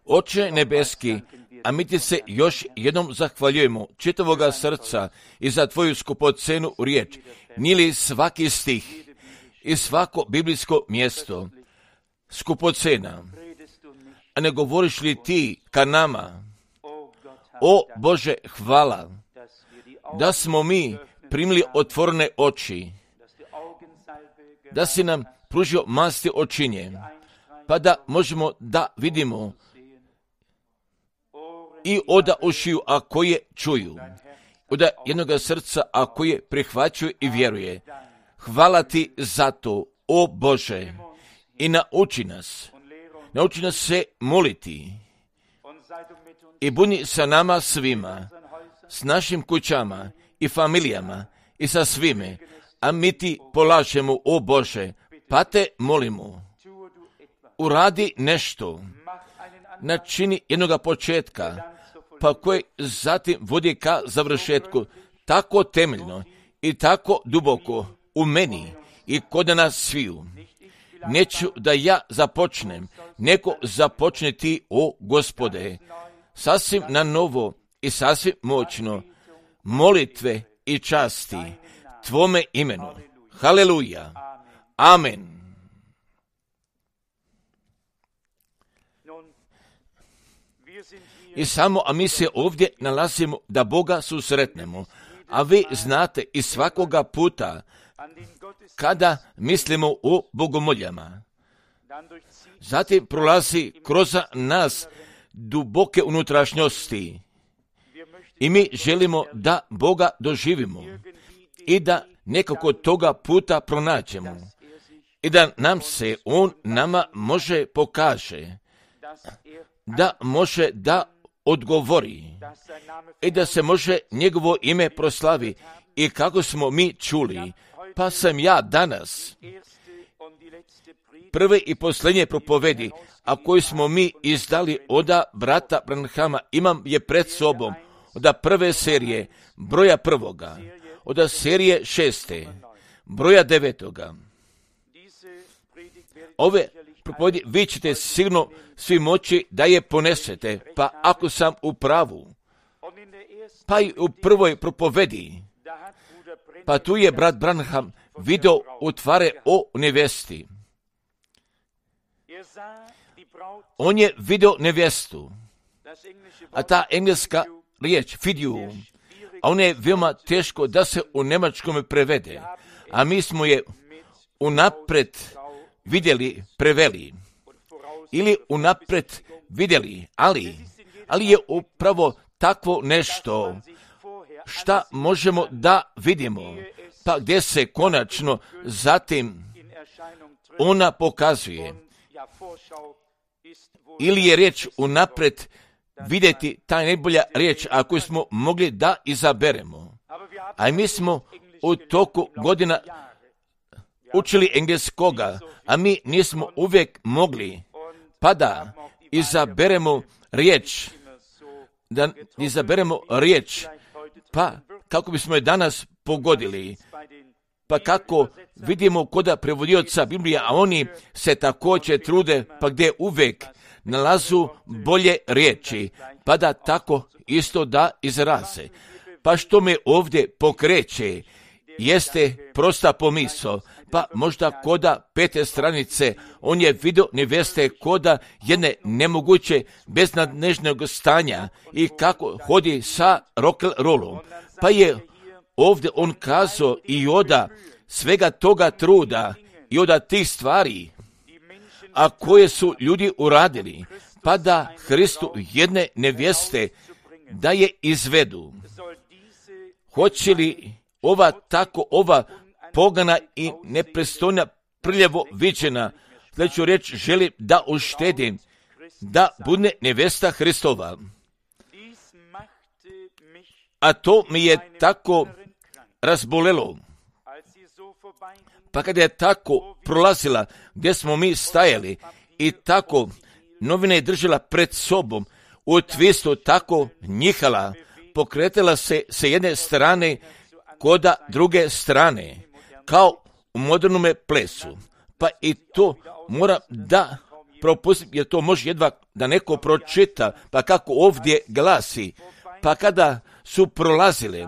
Oče nebeski, a mi ti se još jednom zahvaljujemo čitavoga srca i za tvoju skupocenu riječ. Nije li svaki stih i svako biblijsko mjesto skupocena, a ne govoriš li ti ka nama? O Bože, hvala da smo mi primili otvorene oči, da si nam pružio masti očinje, pa da možemo da vidimo i oda ušiju, a koje čuju, oda jednoga srca, a koje prihvaćaju i vjeruje. Hvala ti za to, o Bože, i nauči nas se moliti i budi sa nama svima, s našim kućama i familijama i sa svime, a mi ti polažemo, o Bože, pa te molimo, uradi nešto, načini jednoga početka, pa koji zatim vodi ka završetku, tako temeljno i tako duboko u meni i kod nas sviju. Neću da ja započnem, nego započne ti, o Gospode, sasvim na novo i sasvim moćno, molitve i časti tvome imenu. Haleluja. Amen. I samo, a mi se ovdje nalazimo da Boga susretnemo, a vi znate i svakoga puta kada mislimo o bogomoljama, zatim prolazi kroz nas duboke unutrašnjosti i mi želimo da Boga doživimo i da nekako toga puta pronađemo i da nam se On nama može pokaže, da može da odgovori i da se može njegovo ime proslavi. I kako smo mi čuli, pa sam ja danas prve i posljednje propovedi, a koje smo mi izdali oda brata Branhama, imam je pred sobom, oda prve serije, broja 1, oda serije 6, broja 9. Ove propovedi vi ćete sigurno svi moći da je ponesete, pa ako sam u pravu, pa i u prvoj propovedi, pa tu je brat Branham video utvare o nevesti. On je video nevjestu, a ta engleska riječ, fidiu, a ona je veoma teško da se u njemačkom prevede, a mi smo je unapred vidjeli, preveli, ili unapred vidjeli, ali je upravo takvo nešto šta možemo da vidimo, pa gdje se konačno zatim ona pokazuje. Ili je riječ unapred vidjeti, ta najbolja riječ, ako smo mogli da izaberemo. A mi smo u toku godina učili engleskoga, a mi nismo uvijek mogli, pa da izaberemo riječ, pa kako bismo je danas pogodili, pa kako vidimo koda prevodioca Biblije, a oni se također trude, pa gdje uvijek nalazu bolje riječi, pa da tako isto da izraze. Pa što me ovdje pokreće, jeste prosta pomisao, pa možda koda 5. stranice, on je vidio neveste koda jedne nemoguće beznadnežnog stanja i kako hodi sa rock'n'rollom. Pa je ovdje on kazao i oda svega toga truda i oda tih stvari, a koje su ljudi uradili, pa da Hristu jedne nevjeste da je izvedu. Hoće li ova pogana i nepristojna prljavo viđena, sljedeću riječ želi da uštedim, da bude nevjesta Hristova. A to mi je tako razbolelo. Pa kada je tako prolazila gdje smo mi stajali i tako novine je držala pred sobom, u twistu tako njihala, pokretala se sa jedne strane koda druge strane, kao u modernome plesu. Pa i to mora da propustim, jer to može jedva da neko pročita, pa kako ovdje glasi. Pa kada su prolazile,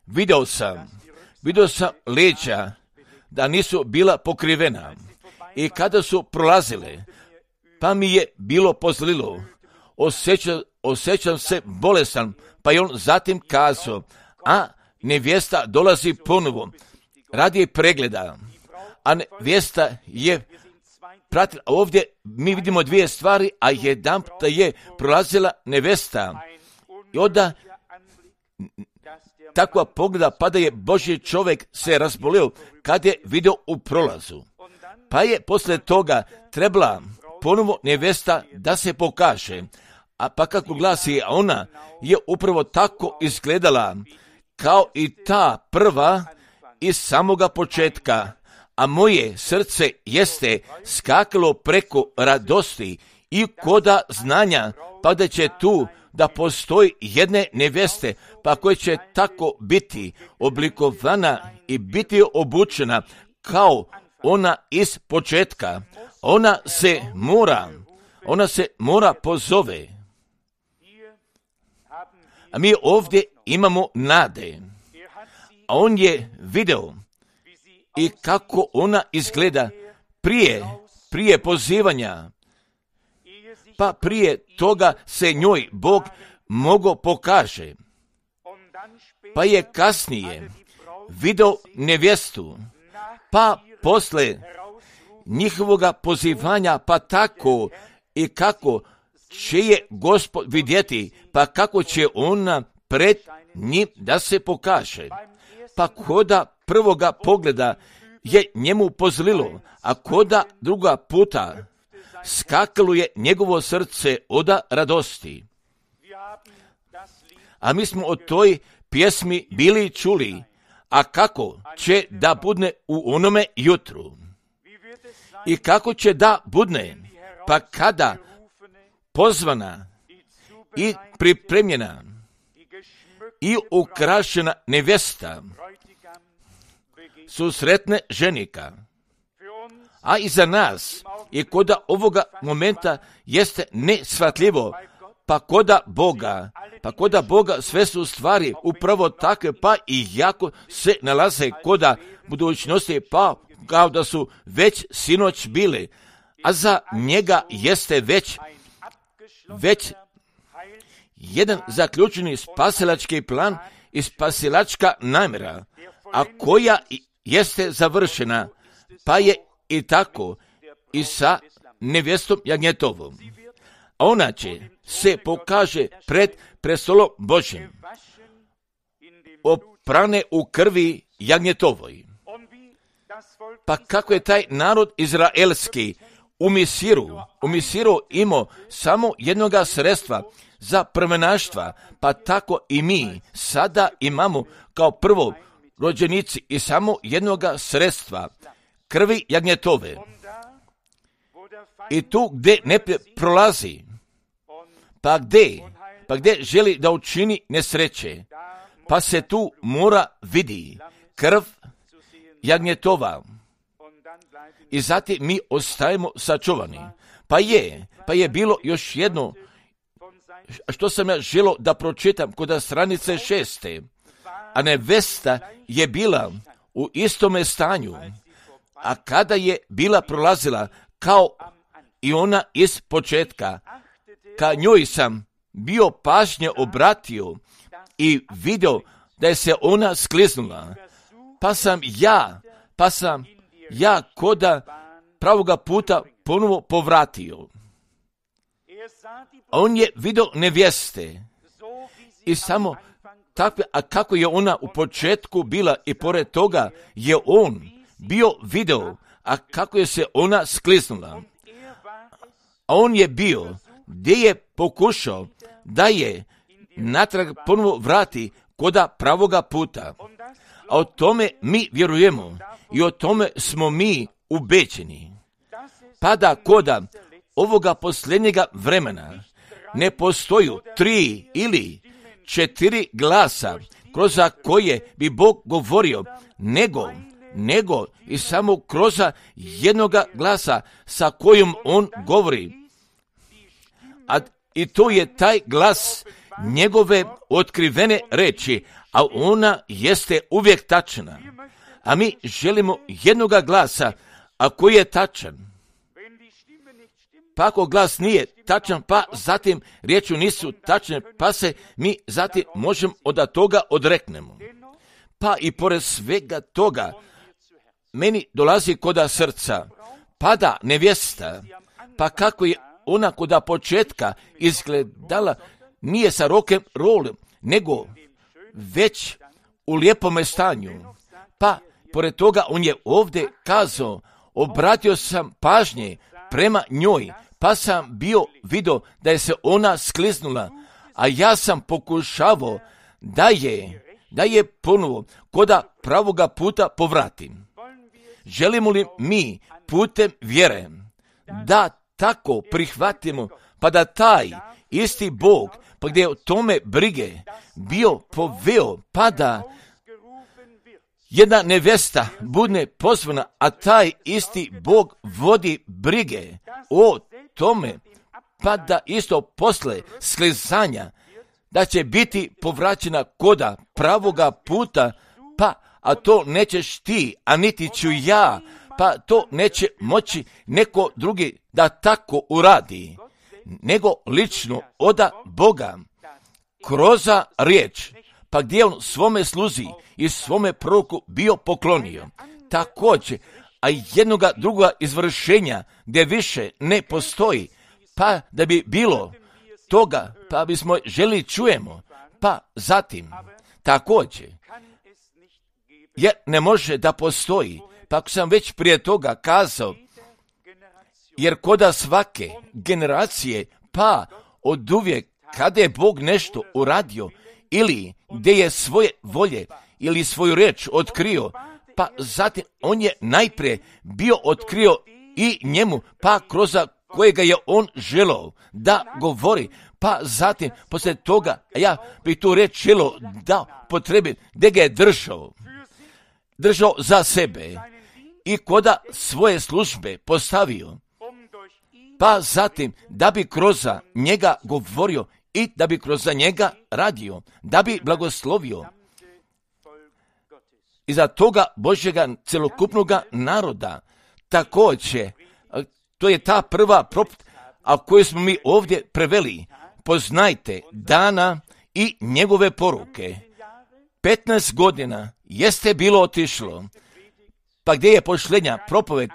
vidio sam leđa da nisu bila pokrivena. I kada su prolazile, pa mi je bilo pozlilo. Osjećam se bolestan, pa je on zatim kazao, a nevjesta dolazi ponovo radi pregleda, a nevjesta je pratila. Ovdje mi vidimo dvije stvari, a jedanput je prolazila nevjesta. I onda takva pogleda, pa da je Božji čovjek se razbolio kad je vidio u prolazu. Pa je poslije toga trebala ponovo nevjesta da se pokaže. A pa kako glasi, ona je upravo tako izgledala kao i ta prva iz samoga početka. A moje srce jeste skakalo preko radosti i koda znanja, pa da će tu da postoji jedne nevjeste, pa koja će tako biti oblikovana i biti obučena kao ona iz početka. Ona se mora pozove. A mi ovdje imamo nade. A on je video i kako ona izgleda prije pozivanja. Pa prije toga se njoj Bog mogao pokaže. Pa je kasnije video nevjestu. Pa posle njihovoga pozivanja, pa tako i kako će je Gospod vidjeti, pa kako će ona pred njim da se pokaže. Pa koda prvoga pogleda je njemu pozlilo, a koda druga puta skakalo je njegovo srce od radosti. A mi smo o toj pjesmi bili čuli, a kako će da budne u onome jutru? I kako će da budne? Pa kada pozvana i pripremljena i ukrašena nevjesta susretne ženika. A i za nas i koda ovoga momenta jeste neshvatljivo, pa koda Boga sve su stvari upravo takve, pa i jako se nalaze koda budućnosti, pa kao da su već sinoć bile, a za njega jeste već jedan zaključeni spasilački plan i spasilačka namjera, a koja jeste završena, pa je i tako i sa nevjestom jagnjetovom. A ona će se pokaže pred prestolom Božjim, oprane u krvi jagnjetovoj. Pa kako je taj narod izraelski u Misiru imao samo jednoga sredstva za prvenaštva, pa tako i mi sada imamo kao prvo rođenici i samo jednoga sredstva, krvi jagnjetove. I tu gdje ne prolazi, pa gdje želi da učini nesreće, pa se tu mora vidi krv jagnjetova. I zatim mi ostajemo sačuvani. Pa je bilo još jedno što sam ja želio da pročitam kod stranice 6. A nevesta je bila u istome stanju, a kada je bila prolazila kao i ona iz početka, ka njoj sam bio pažnje obratio i vidio da je se ona skliznula, pa sam ja koda pravoga puta ponovo povratio. On je vidio nevjeste i samo takve, a kako je ona u početku bila i pored toga je on bio video, a kako je se ona skliznula. A on je bio gdje je pokušao da je natrag ponovo vrati koda pravoga puta. A o tome mi vjerujemo i o tome smo mi ubeđeni. Pa da koda ovoga posljednjega vremena ne postoji 3 ili 4 glasa kroz koje bi Bog govorio, nego i samo kroz jednoga glasa sa kojim on govori. I to je taj glas njegove otkrivene reči, a ona jeste uvijek tačna. A mi želimo jednoga glasa, a koji je tačan. Pa ako glas nije tačan, pa zatim riječi nisu tačne, pa se mi zatim možemo od toga odreknemo. Pa i pored svega toga, meni dolazi koda srca, pada nevjesta, pa kako je ona koda početka izgledala, nije sa rokem rolom, nego već u lijepome stanju. Pa pored toga on je ovdje kazao, obratio sam pažnje prema njoj, pa sam bio vidio da je se ona skliznula, a ja sam pokušavao da je ponovo koda pravoga puta povratim. Želimo li mi putem vjere da tako prihvatimo, pa da taj isti Bog, pa gdje je o tome brige bio poveo, pa da jedna nevesta bude pozvana, a taj isti Bog vodi brige o tome, pa da isto posle sklizanja, da će biti povraćena koda pravoga puta, pa a to nećeš ti, a niti ću ja, pa to neće moći neko drugi da tako uradi, nego lično oda Boga, kroz riječ, pa gdje on svome sluzi i svome proroku bio poklonio. Također, a jednoga druga izvršenja gdje više ne postoji, pa da bi bilo toga, pa bismo želi čujemo, pa zatim također, jer ne može da postoji, pa ako sam već prije toga kazao, jer koda svake generacije, pa od uvijek kada je Bog nešto uradio, ili gdje je svoje volje ili svoju riječ otkrio, pa zatim on je najprije bio otkrio i njemu, pa kroz kojega je on želao da govori, pa zatim poslije toga, ja bi tu riječ želao da potrebim, gdje ga je držao za sebe i koda svoje službe postavio, pa zatim da bi kroz njega govorio i da bi kroz njega radio, da bi blagoslovio iza toga Božjega celokupnoga naroda. Također, to je ta prva propovijed, a koju smo mi ovdje preveli, poznajte dana i njegove poruke. 15 godina jeste bilo otišlo, pa gdje je posljednja propovijed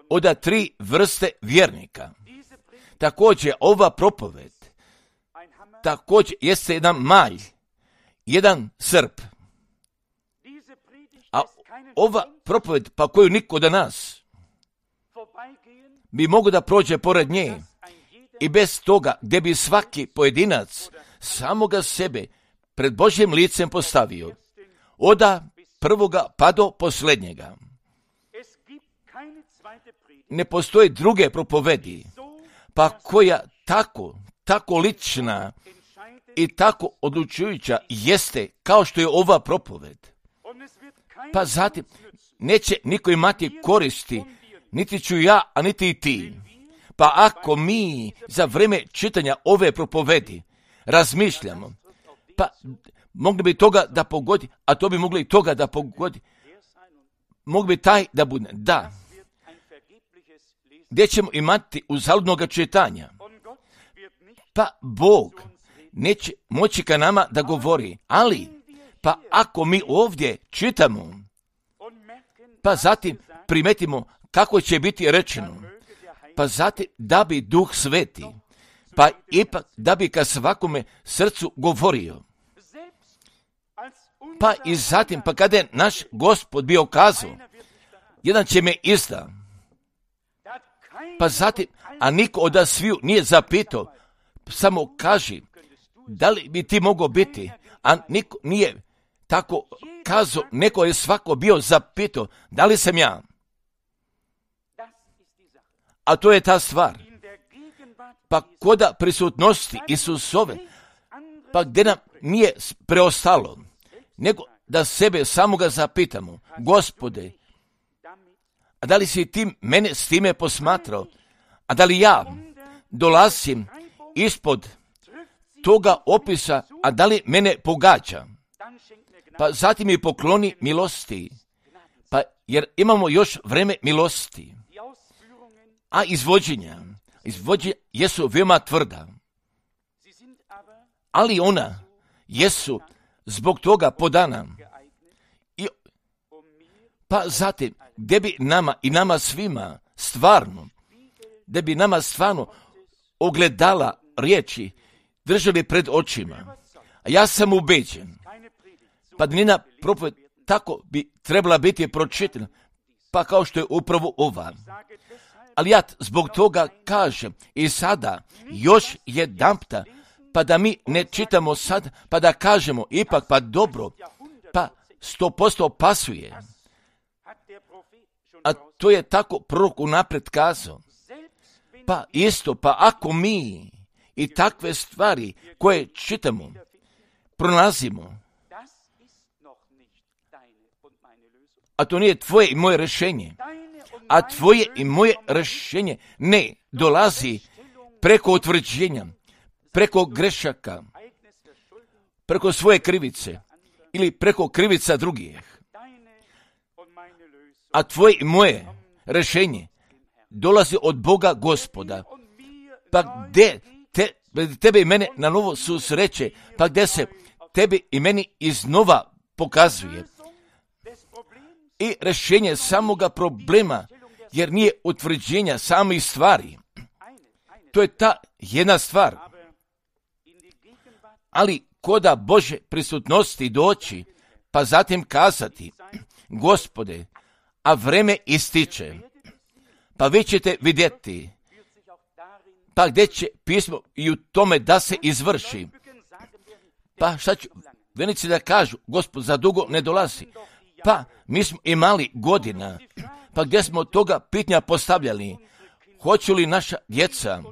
od 3 vrste vjernika. Također, ova propovijed također jeste jedan malj, jedan srp. A ova propovijed, pa koju niko od nas bi mogao da prođe pored nje i bez toga gdje bi svaki pojedinac samoga sebe pred Božjim licem postavio, od prvoga pa do posljednjega. Ne postoji druge propovedi, pa koja tako lična i tako odlučujuća jeste kao što je ova propoved. Pa zatim neće niko imati koristi, niti ću ja, a niti i ti. Pa ako mi za vrijeme čitanja ove propovedi razmišljamo, pa mogli bi toga da pogodi, a to bi mogli i toga da pogodi. Mogli bi taj da bude, da. Gdje ćemo imati uzaludnoga čitanja? Pa Bog neće moći ka nama da govori, ali pa ako mi ovdje čitamo, pa zatim primetimo kako će biti rečeno, pa zatim da bi Duh Sveti, pa ipak da bi ka svakome srcu govorio. Pa i zatim, pa kada je naš Gospod bio kazao, jedan će me izda, pa zatim, a niko od sviju nije zapitao, samo kaži, da li bi ti mogao biti, a niko nije tako kazao, neko je svako bio zapitao, da li sam ja? A to je ta stvar. Pa koda prisutnosti Isusove, pa gdje nam nije preostalo, nego da sebe samoga zapitamo, Gospode, a da li si ti mene s time posmatrao, a da li ja dolazim ispod toga opisa, a da li mene pogađa? Pa zatim mi pokloni milosti, pa jer imamo još vreme milosti. A izvođenja jesu veoma tvrda, ali ona jesu zbog toga podana. Pa zatim, gdje bi nama i nama svima stvarno, gdje bi nama stvarno ogledala riječi držali pred očima. A ja sam ubeđen, pa njena propoved tako bi trebala biti pročitana, pa kao što je upravo ova. Ali ja zbog toga kažem i sada još jedanputa, pa da mi ne čitamo sad, pa da kažemo ipak pa dobro, pa 100% pasuje. A to je tako prorok unaprijed kazao. Pa isto, pa ako mi i takve stvari koje čitamo, pronalazimo, a to nije tvoje i moje rješenje, a tvoje i moje rješenje ne dolazi preko utvrđenja, preko grešaka, preko svoje krivice ili preko krivica drugih. A tvoje i moje rješenje dolazi od Boga Gospoda. Pa gdje tebe i mene na novo susreće, pa gdje se tebi i meni iznova pokazuje. I rješenje samoga problema, jer nije utvrđenja samih stvari. To je ta jedna stvar. Ali koda Bože prisutnosti doći, pa zatim kazati, Gospode, a vreme ističe, pa vi ćete vidjeti, pa gdje će pismo i u tome da se izvrši. Pa šta ću venici da kažu, Gospod za dugo ne dolazi. Pa mi smo imali godina, pa gdje smo toga pitanja postavljali, hoću li naša djeca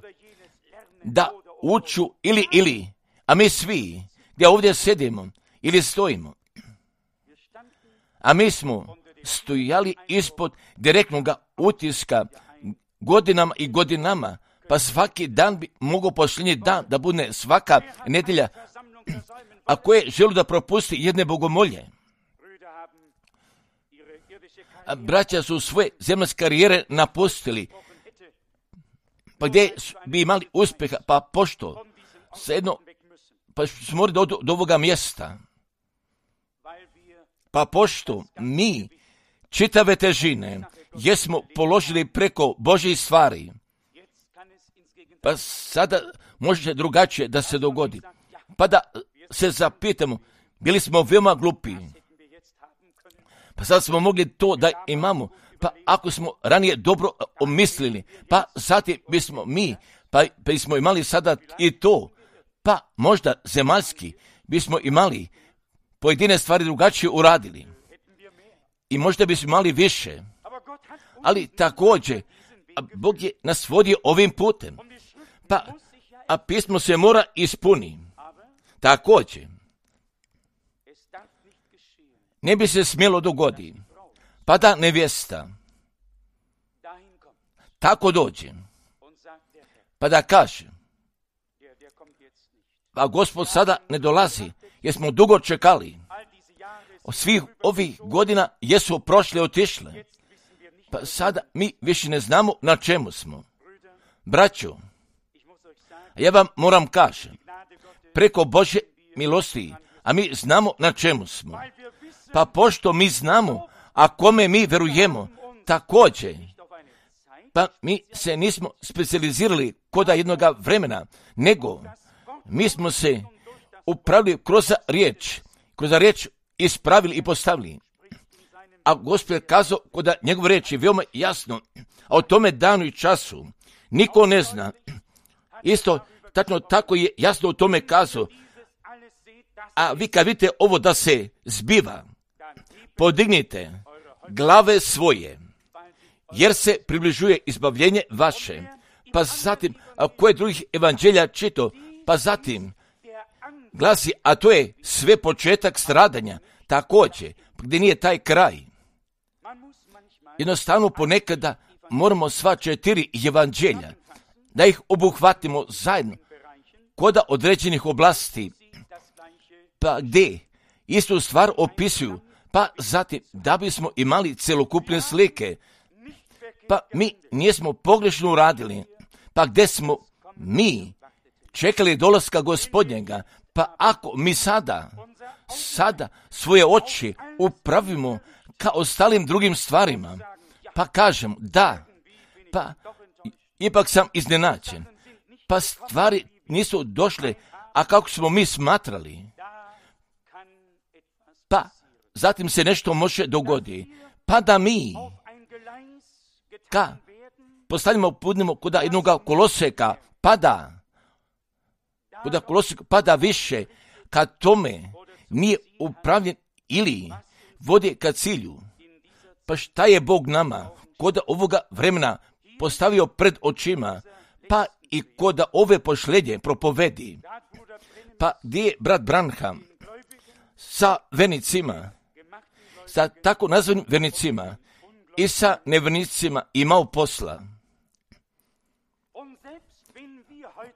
da uču ili, a mi svi gdje ovdje sedimo ili stojimo, a mi smo stojali ispod direktnog utiska godinama i godinama, pa svaki dan bi mogao posljednji dan da bude svaka nedjelja, a koje želi da propusti jedne bogomolje. A braća su svoje zemaljske karijere napustili, pa gdje bi imali uspjeha, pa pošto sedno, pa smo morali do ovoga mjesta, pa pošto mi čitave težine jesmo položili preko Božjih stvari, pa sada može drugačije da se dogodi. Pa da se zapitamo, bili smo veoma glupi, pa sad smo mogli to da imamo, pa ako smo ranije dobro omislili, pa zatim bismo mi, pa bismo imali sada i to, pa možda zemaljski bismo imali pojedine stvari drugačije uradili. I možda bismo imali više, ali također, Bog je nas vodio ovim putem, pa, a pismo se mora ispuni. Također, ne bi se smjelo dogoditi, pa da nevjesta tako dođe, pa da kaže, pa Gospod sada ne dolazi, jer smo dugo čekali. Od svih ovih godina jesu prošle, otišle, pa sada mi više ne znamo na čemu smo. Braćo, ja vam moram kažem, preko Božje milosti, a mi znamo na čemu smo. Pa pošto mi znamo, a kome mi verujemo, također, pa mi se nismo specijalizirali koda jednoga vremena, nego mi smo se upravili kroz riječ ispravili i postavili. A Gospod je kazao koda njegove riječi veoma jasno, a o tome danu i času niko ne zna. Isto, tačno tako je jasno o tome kazao. A vi kad vidite ovo da se zbiva, podignite glave svoje, jer se približuje izbavljenje vaše. Pa zatim, a koje drugih evanđelja čito, pa zatim glasi, a to je sve početak stradanja. također, gdje nije taj kraj. Jednostavno ponekada moramo sva 4 evanđelja, da ih obuhvatimo zajedno, kod određenih oblasti, pa gdje istu stvar opisuju, pa zatim da bismo imali celokupne slike, pa mi nismo pogrešno uradili, pa gdje smo mi čekali dolaska Gospodnjega, pa ako mi sada svoje oči upravimo ka ostalim drugim stvarima, pa kažem da, pa ipak sam iznenađen, pa stvari nisu došle, a kako smo mi smatrali, pa zatim se nešto može dogoditi, pa da mi postavimo putnimo kod jednoga koloseka, pada više, kad tome nije upravljen ili vodi ka cilju. Pa šta je Bog nama kod ovoga vremena postavio pred očima, pa i kod ove pošlednje propovedi, pa gdje je brat Branham sa vernicima, sa tako nazvanim vernicima i sa nevernicima imao posla.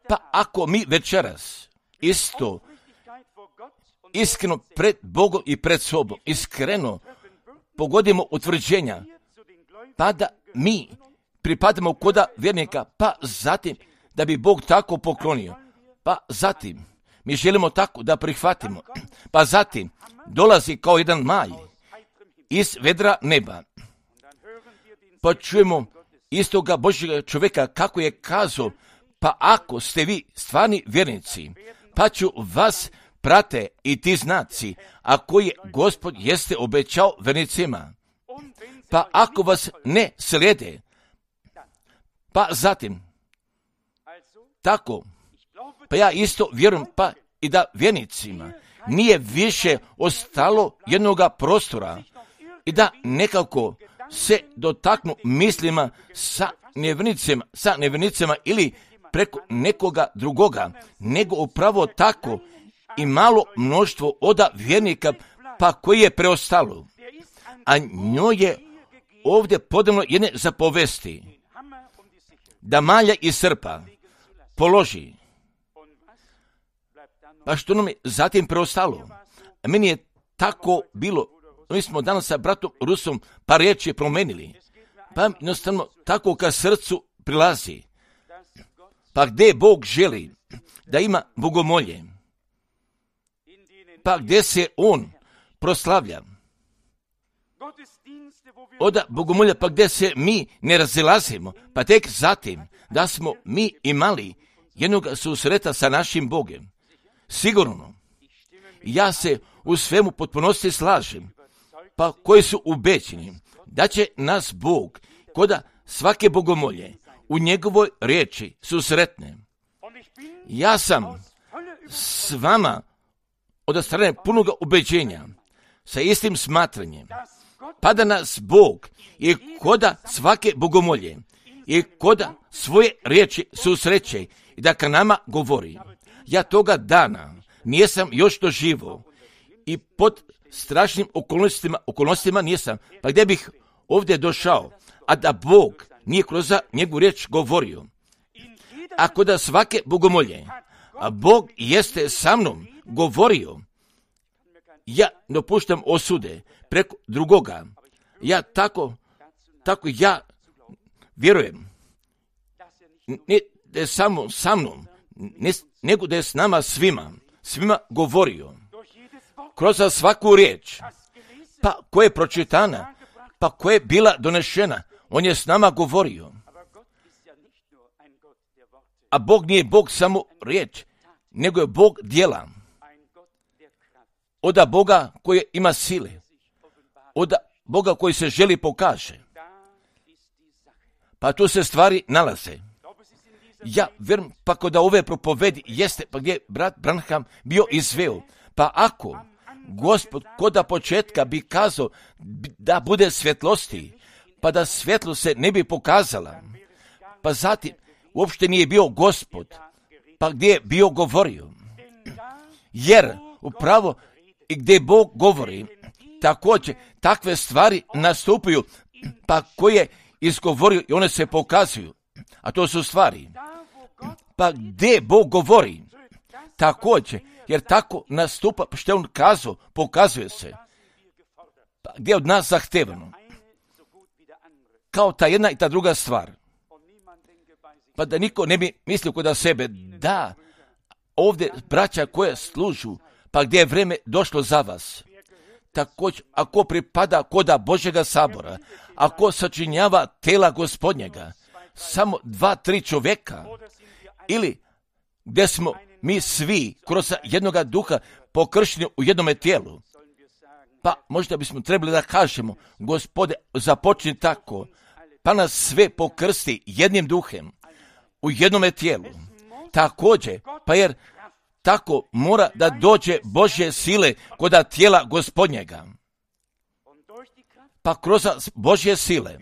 Pa ako mi večeras isto iskreno pred Bogom i pred sobom, iskreno pogodimo utvrđenja, pa da mi pripadamo koda vjernika, pa zatim da bi Bog tako poklonio, pa zatim mi želimo tako da prihvatimo, pa zatim dolazi kao jedan maj iz vedra neba, pa čujemo istoga Božjega čovjeka kako je kazao, pa ako ste vi stvarni vjernici, pa ću vas prate i ti znaci, a koje Gospod jeste obećao vernicima. Pa ako vas ne slijede, pa zatim, tako, pa ja isto vjerujem, pa i da vjernicima nije više ostalo jednoga prostora i da nekako se dotaknu mislima sa nevjernicima ili preko nekoga drugoga, nego upravo tako i malo mnoštvo od vjernika, pa koji je preostalo. A njoj je ovdje podano jedne zapovesti, da malja i srpa položi. Pa što nam je zatim preostalo? A meni je tako bilo, mi smo danas sa bratom Rusom par riječi promenili, pa jednostavno tako ka srcu prilazi. Pa gdje Bog želi da ima bogomolje, pa gdje se On proslavlja, od bogomolja, pa gdje se mi ne razilazimo, pa tek zatim da smo mi imali jednog susreta sa našim Bogom. Sigurno, ja se u svemu potpunosti slažem, pa koji su ubeđeni da će nas Bog koda svake bogomolje u njegovoj riječi susretne. Ja sam s vama od strane punoga ubeđenja, sa istim smatranjem, pa da nas Bog i koda svake bogomolje i koda svoje riječi susreće i da ka nama govori. Ja toga dana nisam još doživio i pod strašnim okolnostima nisam, pa gdje bih ovdje došao, a da Bog nije kroz njegovu riječ govorio. Ako da svake bogomolje, a Bog jeste sa mnom govorio, ja ne puštam osude preko drugoga. Ja tako ja vjerujem, ne da je samo sa mnom, nego da je s nama svima govorio. Kroz svaku riječ, pa koja je pročitana, pa koja je bila donešena, on je s nama govorio. A Bog nije Bog samo riječ, nego je Bog djela. Od Boga koji ima sile, od Boga koji se želi pokaže. Pa tu se stvari nalaze. Ja vjerujem pa kod ove propovedi jeste, pa gdje je brat Branham bio izveo. Pa ako Gospod kod početka bi kazao da bude svjetlosti, pa da svjetlo se ne bi pokazala, pa zatim uopšte nije bio Gospod, pa gdje je bio govorio. Jer upravo i gdje Bog govori, također takve stvari nastupaju, pa koje izgovorio i one se pokazuju. A to su stvari. Pa gdje Bog govori, također, jer tako nastupa, što je on kazao, pokazuje se. Pa gdje je od nas zahtevano? Kao ta jedna i ta druga stvar. Pa da niko ne bi mislio kod sebe, da, ovdje braća koje služu, pa gdje je vrijeme došlo za vas. Također, ako pripada koda Božjega sabora, ako sačinjava tela Gospodnjega, samo 2-3 čovjeka, ili gdje smo mi svi kroz jednoga duha pokršteni u jednome tijelu, pa možda bismo trebali da kažemo, Gospode, započni tako, pa nas sve pokrsti jednim duhem u jednome tijelu. Također, pa jer tako mora da dođe Božje sile koda tijela Gospodnjega. Pa kroz Božje sile,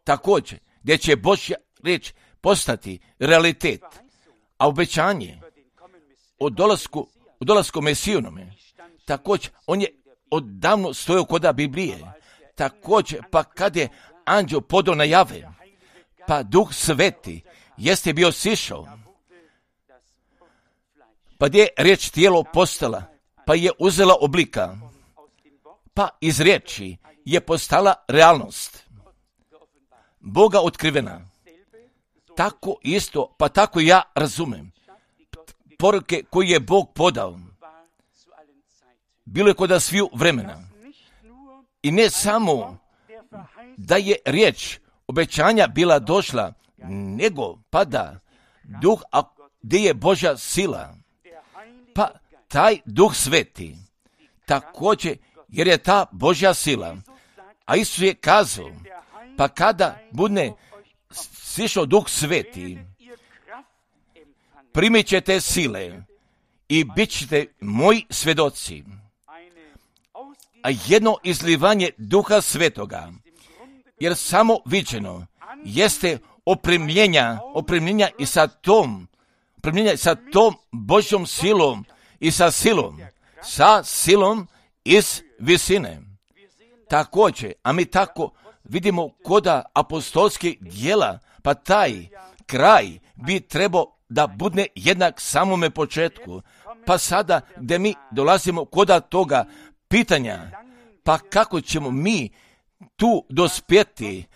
također, gdje će Božja riječ postati realitet, a obećanje o dolasku Mesijinome, također, on je odavno stojao koda Biblije. Također, pa kad je anđeo podao najave, pa Duh Sveti jeste bio sišao, pa gdje je riječ tijelo postala, pa je uzela oblika, pa iz riječi je postala realnost, Boga otkrivena. Tako isto, pa tako ja razumem poruke koje je Bog podao. Bilo je kod sviju vremena. I ne samo da je riječ obećanja bila došla, nego pa da duh, a gdje je Božja sila, pa taj Duh Sveti, također, jer je ta Božja sila, a Isus je kazao, pa kada bude sišao Duh Sveti, primit ćete sile i bit ćete moji svjedoci. A jedno izlivanje Duha Svetoga, jer samo viđeno jeste opremljenja i sa tom Božjom silom i sa silom iz visine. Također, a mi tako vidimo koda apostolskih djela, pa taj kraj bi trebao da bude jednak samome početku. Pa sada gdje mi dolazimo koda toga pitanja, pa kako ćemo mi tu dospjeti,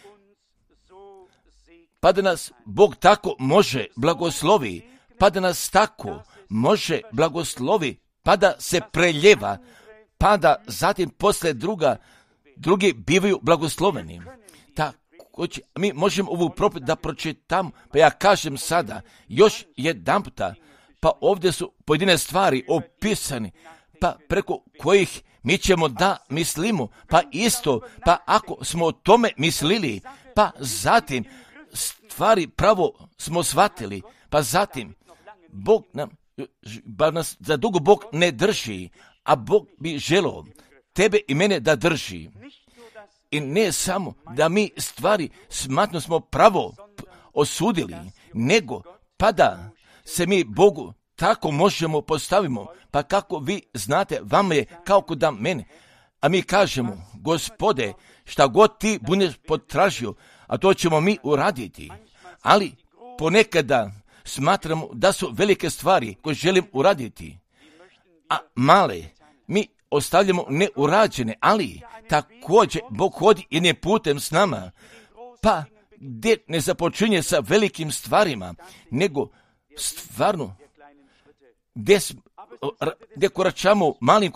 pa da nas Bog tako može blagoslovi, pa da nas tako može blagoslovi, pa da se preljeva, pa da zatim poslije drugi bivaju blagosloveni. Također, mi možemo ovu propovijed da pročitam, pa ja kažem sada, još jedanputa, pa ovdje su pojedine stvari opisani, pa preko kojih mi ćemo da mislimo, pa isto, pa ako smo o tome mislili, pa zatim stvari pravo smo shvatili, pa zatim Bog nas za dugo Bog ne drži, a Bog bi želio tebe i mene da drži. I ne samo da mi stvari smatno smo pravo osudili, nego pa da se mi Bogu tako možemo postavimo, pa kako vi znate, vama je kao kod da mene. A mi kažemo, Gospode, šta god ti budeš potražio, a to ćemo mi uraditi. Ali ponekada smatramo da su velike stvari koje želim uraditi, a male mi ostavljamo neurađene, ali također Bog hodi jednim putem s nama, pa gdje ne započinje sa velikim stvarima, nego stvarno gdje koračamo malim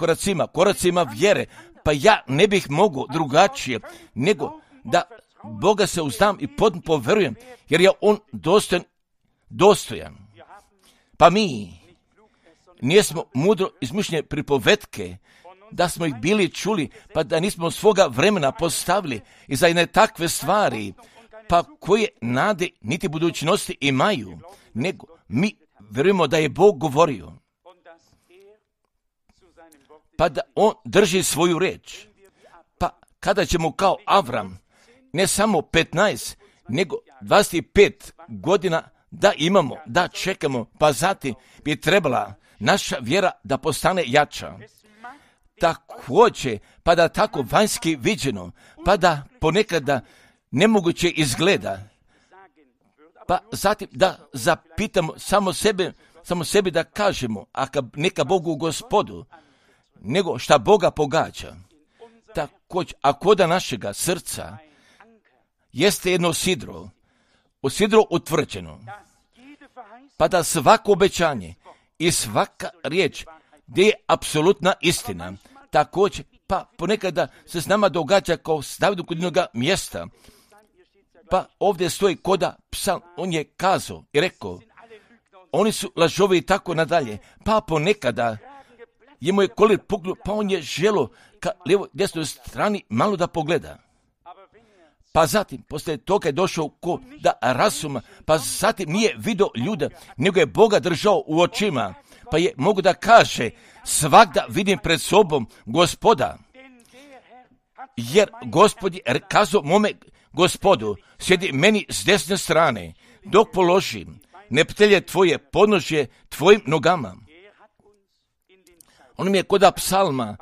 koracima vjere, pa ja ne bih mogao drugačije, nego da Boga se uzdam i potpuno poverujem, jer je On dostojan. Pa mi nismo mudro izmišljene pripovetke, da smo ih bili čuli, pa da nismo svoga vremena postavili i za jedne takve stvari, pa koje nade niti budućnosti imaju, nego mi vjerujemo da je Bog govorio, pa da On drži svoju riječ. Pa kada ćemo kao Avram, ne samo 15, nego 25 godina da imamo, da čekamo, pa zatim bi trebala naša vjera da postane jača. također, pa da tako vanjski viđeno, pa da ponekada nemoguće izgleda, pa zatim da zapitamo samo sebi da kažemo, neka Bogu Gospodu, nego šta Boga pogađa. Također, a koda našega srca jeste jedno sidro utvrđeno, pa da svako obećanje i svaka riječ gdje je apsolutna istina, također, pa ponekada se s nama događa kao staviti kod jednoga mjesta, pa ovdje stoji koda psalm, on je kazao i rekao, oni su lažovi i tako nadalje, pa ponekada je moj kolir puknuo, pa on je želo ka lijevo desnoj strani malo da pogleda. Pa zatim, poslije toga je došao ko da razuma, pa zatim nije vidio ljuda, nego je Boga držao u očima, pa je mogu da kaže, svakda vidim pred sobom Gospoda, jer Gospod je kazao mome Gospodu, sjedi meni s desne strane, dok položim neprijatelje tvoje podnožje tvojim nogama. On mi je koda psalma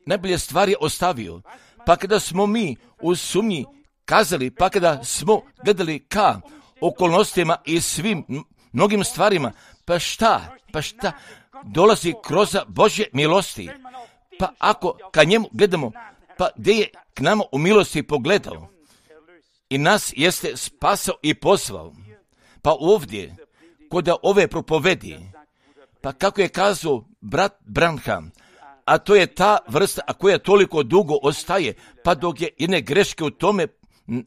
najbolje stvari ostavio, pa kada smo mi u sumnji kazali, pa kada smo gledali ka okolnostima i svim mnogim stvarima, pa šta dolazi kroz Božje milosti, pa ako ka njemu gledamo, pa gdje je k nama u milosti pogledao i nas jeste spasao i pozvao, pa ovdje kod ove propovedi, pa kako je kazao brat Branham, a to je ta vrsta, a koja toliko dugo ostaje, pa dok je jedne greške u tome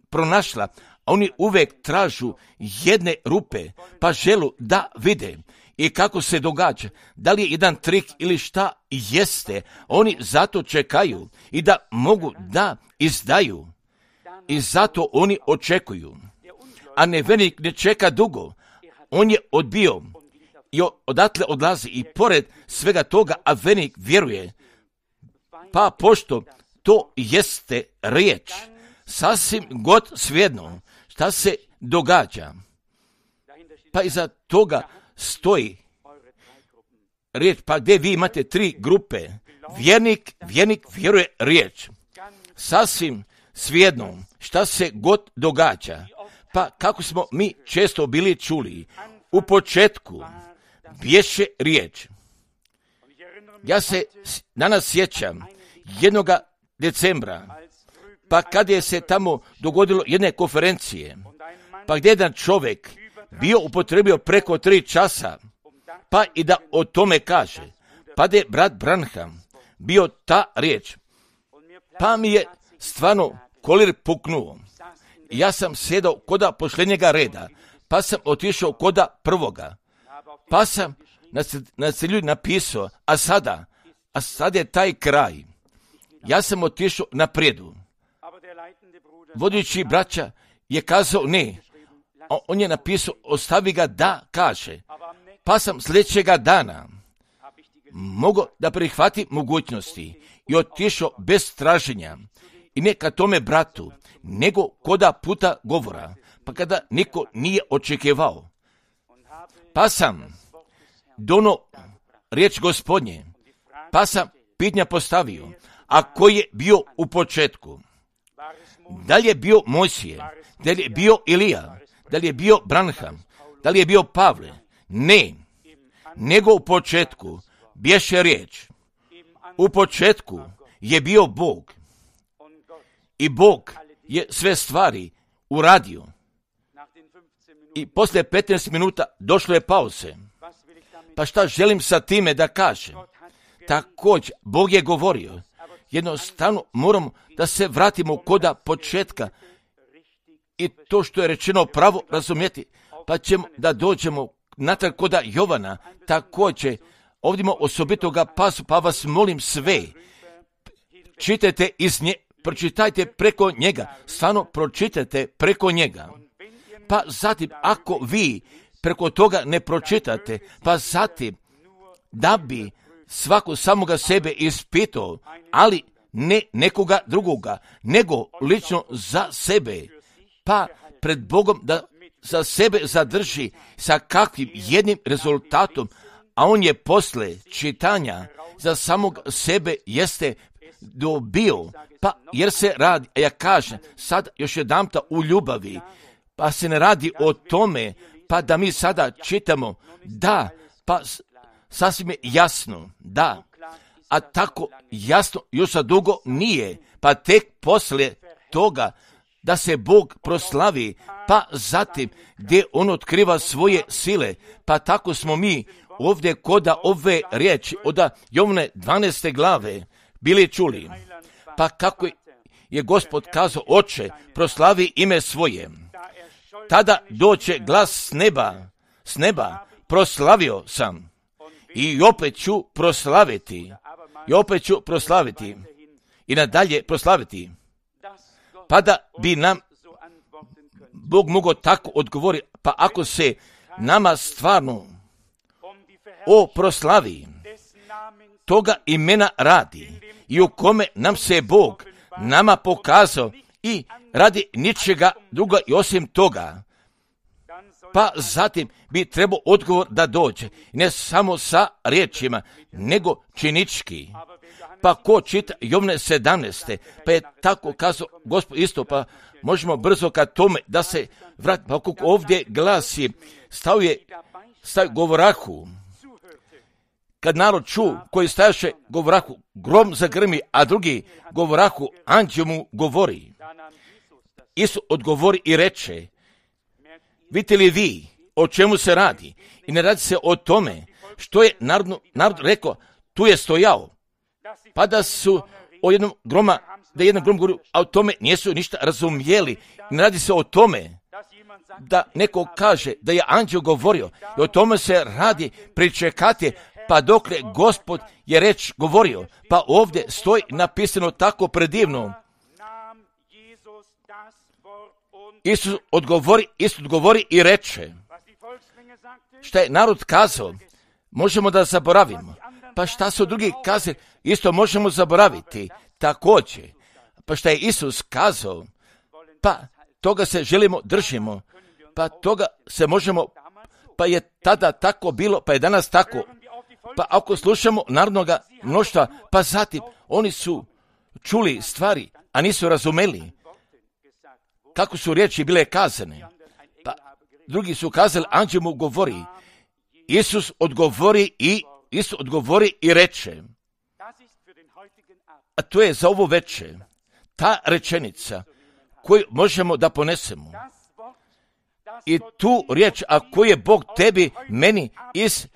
pronašla, a oni uvijek tražu jedne rupe, pa želu da vide i kako se događa, da li je jedan trik ili šta jeste, oni zato čekaju i da mogu da izdaju i zato oni očekuju. A nevernik ne čeka dugo, on je odbio i odatle odlazi i pored svega toga, a vernik vjeruje, pa pošto to jeste riječ, sasvim god svejedno šta se događa, pa iza toga stoji riječ, pa gdje vi imate 3 grupe, vjernik vjeruje riječ, sasvim svejedno šta se god događa, pa kako smo mi često bili čuli, u početku bješe riječ. Ja se danas sjećam 1. decembra, pa kad je se tamo dogodilo jedne konferencije, pa gdje jedan čovjek bio upotrebio preko 3 časa, pa i da o tome kaže, pa da je brat Branham bio ta riječ, pa mi je stvarno kolir puknuo. Ja sam sjedao koda posljednjega reda, pa sam otišao koda prvoga, pa sam na celju napisao, a sad je taj kraj. Ja sam otišao napredu. Vodeći braća je kazao ne, a on je napisao ostavi ga da kaže, pa sam sljedećega dana mogao da prihvatim mogućnosti i otišao bez traženja i ne ka tome bratu, nego koda puta govora, pa kada niko nije očekivao. Pa sam dono riječ Gospodnje, pa sam pitanja postavio, a koji je bio u početku? Da li je bio Mojsije? Da li je bio Ilija? Da li je bio Branham? Da li je bio Pavle? Ne, nego u početku bješe riječ. U početku je bio Bog i Bog je sve stvari uradio. I poslije 15 minuta došlo je pauze. Pa šta želim sa time da kažem? Također, Bog je govorio. Jednostavno moramo da se vratimo koda početka i to što je rečeno pravo razumjeti, pa ćemo da dođemo natrag koda Jovana. Također, ovdje ima osobitoga pasu, pa vas molim sve, čitajte iz nje, pročitajte preko njega, stvarno pročitajte preko njega. Pa zatim, ako vi preko toga ne pročitate, pa zatim, da bi svako samoga sebe ispitao, ali ne nekoga drugoga, nego lično za sebe, pa pred Bogom da za sebe zadrži sa kakvim jednim rezultatom, a on je posle čitanja za samog sebe jeste dobio, pa jer se radi, a ja kažem, sad još jedanputa u ljubavi, pa se ne radi o tome, pa da mi sada čitamo, da, pa sasvim je jasno, da, a tako jasno još za dugo nije, pa tek poslije toga da se Bog proslavi, pa zatim gdje on otkriva svoje sile, pa tako smo mi ovdje koda ove riječi od Jovne 12. glave bili čuli, pa kako je Gospod kazao, Oče, proslavi ime svoje. Tada doće glas s neba, proslavio sam i opet ću proslaviti, i nadalje proslaviti. Pa da bi nam Bog mogao tako odgovoriti, pa ako se nama stvarno o proslavi toga imena radi i u kome nam se Bog nama pokazao i radi ničega druga i osim toga, pa zatim bi trebao odgovor da dođe, ne samo sa riječima, nego činički. Pa ko čita Jovne 17. pa je tako kazao Gospod isto, pa možemo brzo ka tome da se vrati, pa kako ovdje glasi, stavio govorahu, kad narod ču koji stajaše govorahu, grom zagrmi, a drugi govorahu, anđeo mu govori. Isus odgovori i reče, vidite li vi o čemu se radi? I ne radi se o tome što je narod rekao, tu je stojao, pa da su o jednom groma, da jedan grom govorio, a o tome nisu ništa razumjeli. Ne radi se o tome da neko kaže da je anđeo govorio, i o tome se radi, pričekati, pa dokle Gospod je reč govorio, pa ovdje stoji napisano tako predivno. Isus odgovori i reče, šta je narod kazao, možemo da zaboravimo. Pa šta su drugi kazali, isto možemo zaboraviti, također. Pa šta je Isus kazao, pa toga se želimo, držimo, pa toga se možemo, pa je tada tako bilo, pa je danas tako. Pa ako slušamo narodnoga mnoštva, pa zatim oni su čuli stvari, a nisu razumeli kako su riječi bile kazane. Pa drugi su kazali, anđeo mu govori. Isus odgovori i reče, a to je za ovo večer ta rečenica koju možemo da ponesemo. I tu riječ, a koju je Bog tebi, meni iz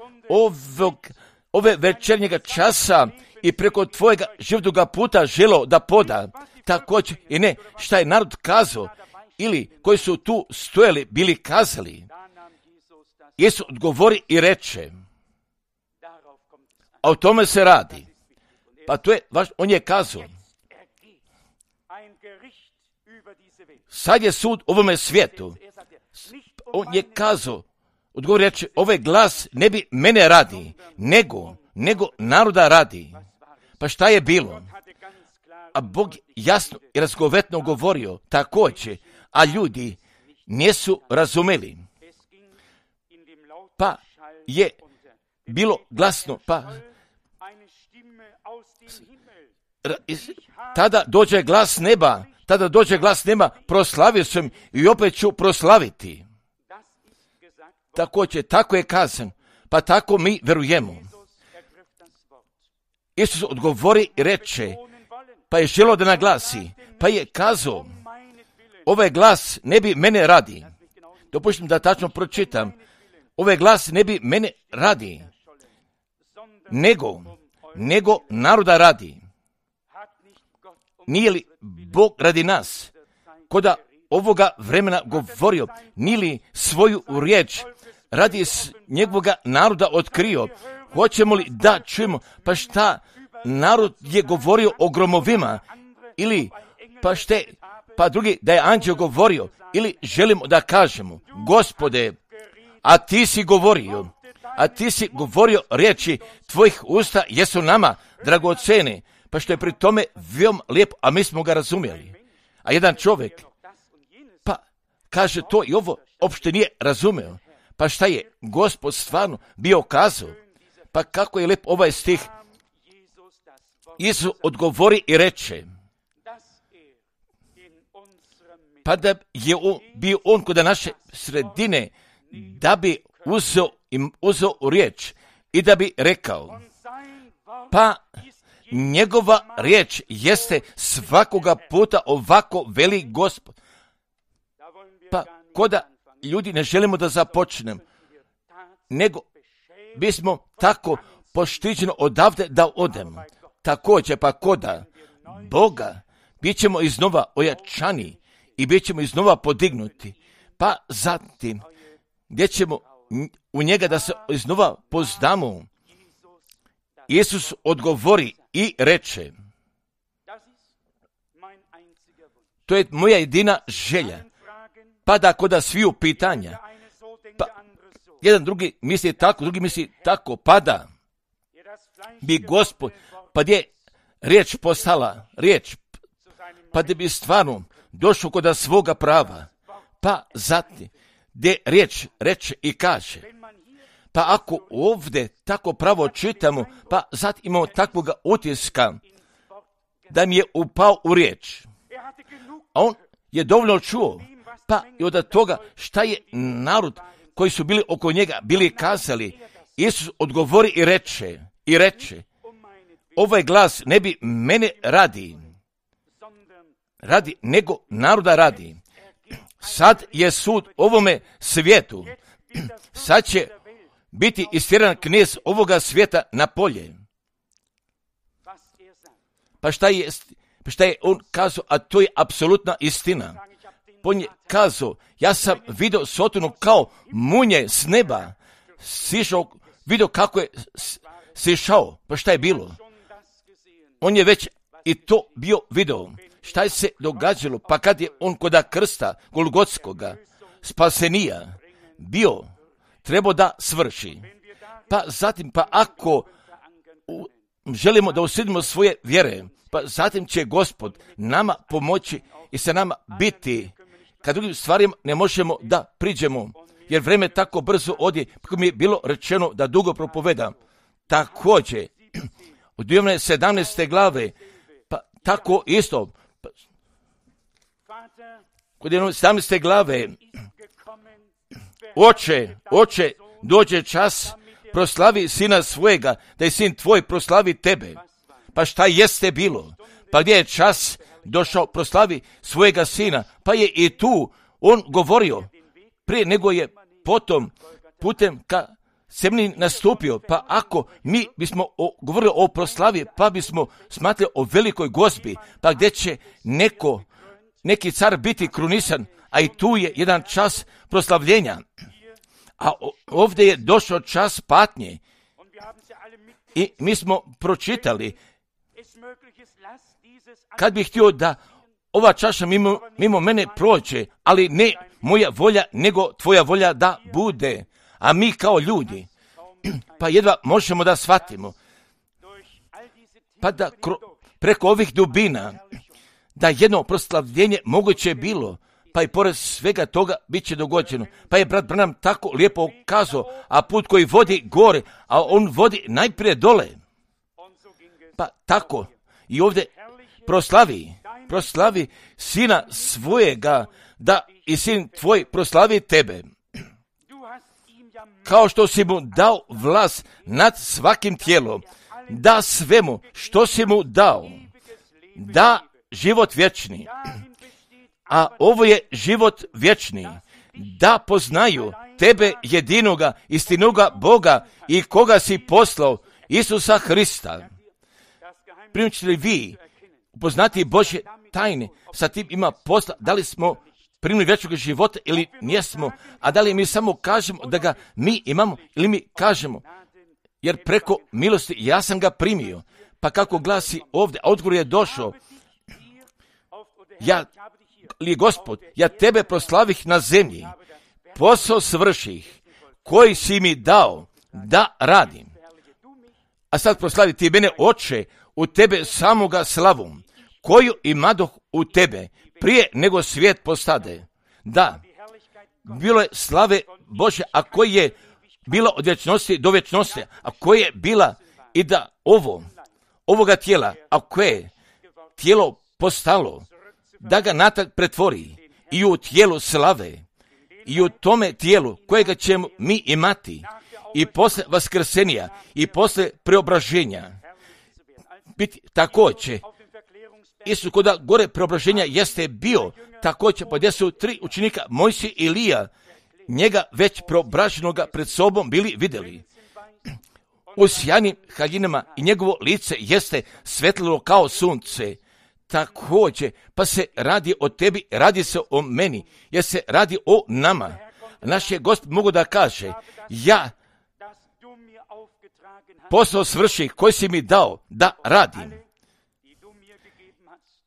ove večernjega časa i preko tvojega životnoga puta želo da poda, također i ne šta je narod kazao ili koji su tu stojali bili kazali. Isus odgovori i reče, a o tome se radi. Pa to je, on je kazao, sad je sud ovome svijetu. On je kazao, odgovori reče, ovaj glas ne bi mene radi, nego naroda radi. Pa šta je bilo? A Bog jasno i razgovetno govorio također, a ljudi nisu razumeli. Pa je bilo glasno, pa tada dođe glas neba, proslavio sam i opet ću proslaviti. Također, tako je kazan, pa tako mi verujemo. Isus odgovori i reče, pa je želio da naglasi, pa je kazao, ovaj glas ne bi mene radi. Dopuštam da tačno pročitam. Ovaj glas ne bi mene radi, nego naroda radi. Nije li Bog radi nas, koda ovoga vremena govorio, nije li svoju riječ radi njegovoga naroda otkrio? Hoćemo li da čujemo, pa šta narod je govorio o gromovima, ili pa drugi da je anđeo govorio, ili želimo da kažemo, Gospode, a ti si govorio riječi tvojih usta jesu nama dragocene, pa što je pri tome veoma lijepo, a mi smo ga razumjeli. A jedan čovjek, pa kaže to i ovo, opšte nije razumio. Pa šta je Gospod stvarno bio kazao? Pa kako je lijep ovaj stih. Isus odgovori i reče, pa da je bio on kod naše sredine, da bi uzeo riječ i da bi rekao, pa njegova riječ jeste svakoga puta ovako veli Gospod. Pa koda ljudi ne želimo da započnem, nego bismo tako poštiđeno odavde da odemo. Također pa koda Boga bit ćemo iznova ojačani i bit ćemo iznova podignuti. Pa zatim gdje ćemo u njega da se iznova pozdamo. Isus odgovori i reče, to je moja jedina želja. Pa da koda sviju pitanja, pa jedan drugi misli tako, drugi misli tako, pa da bi Gospod, pa gdje riječ postala riječ, pa da bi stvarno došao kod svoga prava, pa zatim gdje riječ reče i kaže, pa ako ovdje tako pravo čitamo, pa zatim imamo takvoga utiska da mi je upao u riječ, a on je dovoljno čuo, pa i od toga šta je narod koji su bili oko njega bili kazali, Isus odgovori i reče, ovaj glas ne bi mene radi, nego naroda radi. Sad je sud ovome svijetu, sad će biti istjeran knez ovoga svijeta na polje. Pa šta je on kazao, a to je apsolutna istina. On je kazao, ja sam vidio Sotonu kao munje s neba, sišao, vidio kako je sišao, pa šta je bilo? On je već i to bio video. Šta je se događalo, pa kad je on koda krsta Golgotskoga spasenija bio, trebao da svrši. Pa zatim, pa ako želimo da usjedimo svoje vjere, pa zatim će Gospod nama pomoći i sa nama biti, kad drugim stvarima ne možemo da priđemo, jer vreme tako brzo odje, kako mi je bilo rečeno da dugo propovedam. Također, od 17. glave, pa tako isto, kod 17. glave, Oče, dođe čas, proslavi sina svojega, da je sin tvoj proslavi tebe. Pa šta jeste bilo? Pa gdje je čas došao proslavi svojega sina? Pa je i tu on govorio, prije nego je potom putem ka semlji nastupio. Pa ako mi bismo govorili o proslavi, pa bismo smatrali o velikoj gozbi, pa gdje će neki car biti krunisan, a i tu je jedan čas proslavljenja. A ovdje je došao čas patnje. I mi smo pročitali, kad bih htio da ova čaša mimo mene prođe, ali ne moja volja, nego tvoja volja da bude. A mi kao ljudi, pa jedva možemo da shvatimo, pa da preko ovih dubina, da jedno proslavljenje moguće bilo, pa i pored svega toga bit će dogođeno. Pa je brat Branham tako lijepo kazao, a put koji vodi gore, a on vodi najprije dole. Pa tako i ovdje proslavi sina svojega, da i sin tvoj proslavi tebe. Kao što si mu dao vlast nad svakim tijelom, da svemu što si mu dao, da život vječni. A ovo je život vječni, da poznaju tebe jedinoga, istinoga Boga i koga si poslao, Isusa Hrista. Primite li vi upoznati Božje tajne, sa tim ima posla, da li smo primili vječnog života ili nismo, a da li mi samo kažemo da ga mi imamo ili mi kažemo, jer preko milosti ja sam ga primio. Pa kako glasi ovdje, a odgovor je došao, Gospod, ja tebe proslavih na zemlji, posao svrših, koji si mi dao da radim. A sad proslavi ti mene, Oče, u tebe samoga slavom, koju imadoh u tebe, prije nego svijet postade. Da, bilo je slave Bože, a koji je bila od vječnosti do vječnosti, a koja je bila i da ovoga tijela, a koje je tijelo postalo, da ga natrag pretvori i u tijelu slave, i u tome tijelu kojega ćemo mi imati i posle vaskrsenja i posle preobraženja biti također. Isus kod gore preobraženja jeste bio također, pa gdje su 3 učenika, Mojsije i Ilija, njega već preobraženoga pred sobom bili vidjeli. U sjajnim haljinama i njegovo lice jeste svetlilo kao sunce. Također, pa se radi o tebi, radi se o meni, jer se radi o nama. Naš je Gospod mogu da kaže, ja posao svrši koji si mi dao da radim.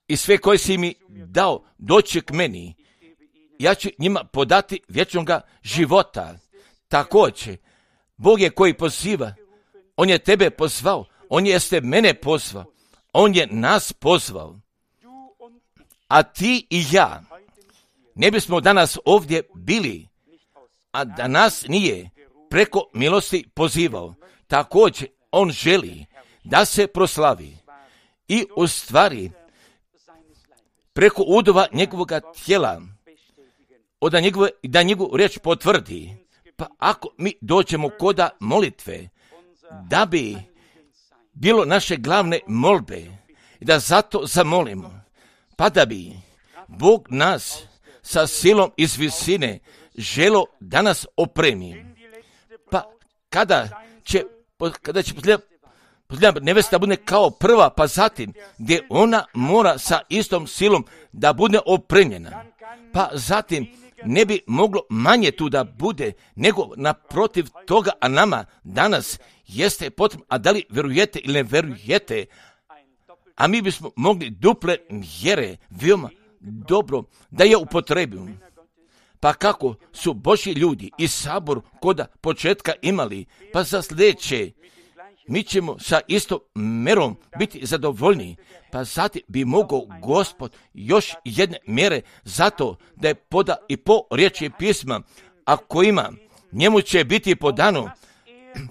I sve koje si mi dao doći k meni, ja ću njima podati vječnoga života. Također, Bog je koji poziva, On je tebe pozvao, On jeste mene pozvao, On je nas pozvao. A ti i ja ne bismo danas ovdje bili, a da nas nije preko milosti pozivao. Također, On želi da se proslavi i u stvari preko udova njegovog tijela, da njegovu riječ potvrdi. Pa ako mi dođemo koda molitve, da bi bilo naše glavne molbe i da zato zamolimo, pa da bi Bog nas sa silom iz visine želo da nas opremi. Pa kada će posljednja nevesta bude kao prva, pa zatim gdje ona mora sa istom silom da bude opremljena, pa zatim ne bi moglo manje tu da bude, nego naprotiv toga, a nama danas jeste potrebno, a da li verujete ili ne verujete, a mi bismo mogli duple mjere veoma dobro da je upotrebimo. Pa kako su Božji ljudi i sabor koda početka imali, pa za sljedeće mi ćemo sa istom mjerom biti zadovoljni, pa zatim bi mogao Gospod još jedne mjere zato da je poda i po riječi pisma, a kojima njemu će biti podano,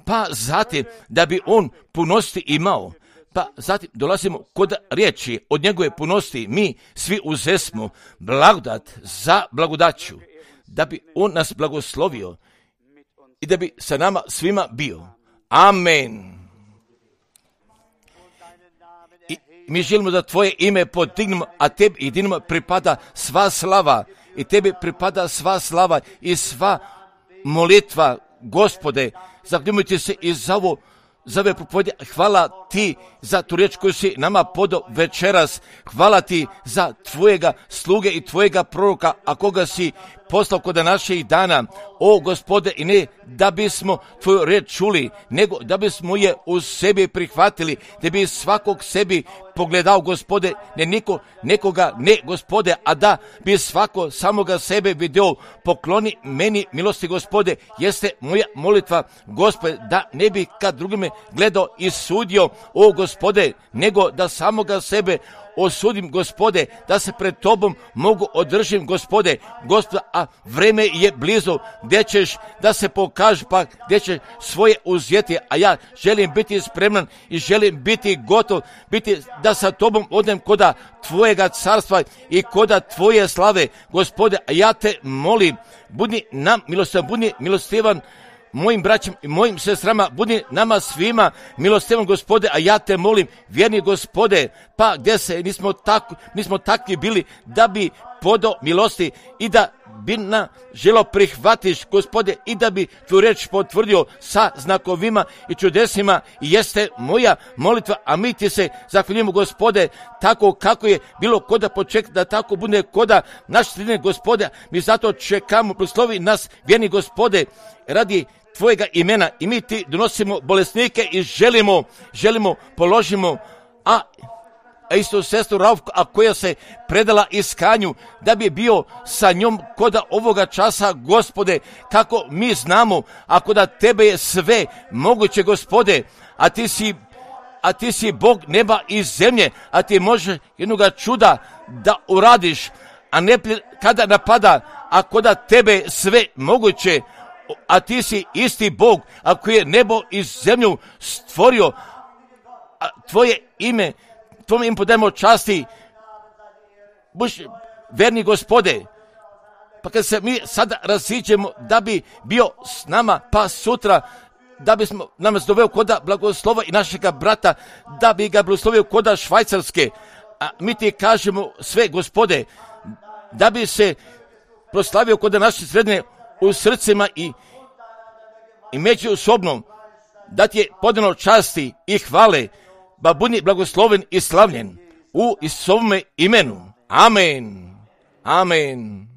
pa zatim da bi on punosti imao. Pa zatim dolazimo kod riječi od njegove punosti, mi svi uzesmo blagodat za blagodaću, da bi on nas blagoslovio i da bi sa nama svima bio. Amen. I mi želimo da tvoje ime podignemo, a tebi jedinima pripada sva slava, i tebi pripada sva slava i sva molitva, Gospode. Zakljumujte se i za ovo, za ove propovjede. Hvala ti za tu riječ koju si nama podao večeras. Hvala ti za tvojega sluge i tvojega proroka, a koga si poslao kod naših dana. O Gospode, i ne da bismo tvoju riječ čuli, nego da bismo je u sebi prihvatili, da bi svakog sebi pogledao, Gospode, ne nekoga, ne, Gospode, a da bi svako samoga sebe vidio. Pokloni meni milosti, Gospode, jeste moja molitva, Gospode, da ne bi kad drugime gledao i sudio, o Gospode, nego da samoga sebe osudim, Gospode, da se pred tobom mogu održim, Gospode, a vreme je blizu, gdje ćeš da se pokaži, pa gdje ćeš svoje uzeti, a ja želim biti spreman i želim biti gotov, da sa tobom odem koda tvojega carstva i koda tvoje slave, Gospode, a ja te molim, budi nam milostivan, mojim braćom i mojim sestrama, budi nama svima milostivan, Gospode, a ja te molim, vjerni Gospode, pa gdje se nismo takvi bili da bi podao milosti i da bi na želo prihvatiš, Gospode, i da bi tu riječ potvrdio sa znakovima i čudesima, i jeste moja molitva, a mi ti se zahvaljujemo, Gospode, tako kako je bilo koda počeka, da tako bude koda naš sredine, Gospode, mi zato čekamo, proslovi nas, vjerni Gospode, radi tvojega imena, i mi ti donosimo bolesnike i želimo položimo, a isto sestru Raufku, a koja se predala iskanju, da bi bio sa njom koda ovoga časa, Gospode, kako mi znamo, ako da tebe je sve moguće, Gospode, a ti si Bog neba i zemlje, a ti možeš jednoga čuda da uradiš, a ne kada napada, a koda tebe sve moguće, a ti si isti Bog, a koji je nebo i zemlju stvorio, a tvoje ime podajemo časti, buš verni Gospode. Pa kad se mi sada raziđemo da bi bio s nama, pa sutra da bismo nam doveo koda blagoslova i našega brata, da bi ga blagoslovio koda Švajcarske, a mi ti kažemo sve, Gospode, da bi se proslavio koda naše sredine u srcima i međusobno, da ti je podano časti i hvale, ba budi blagosloven i slavljen u Isusovome imenu. Amen. Amen.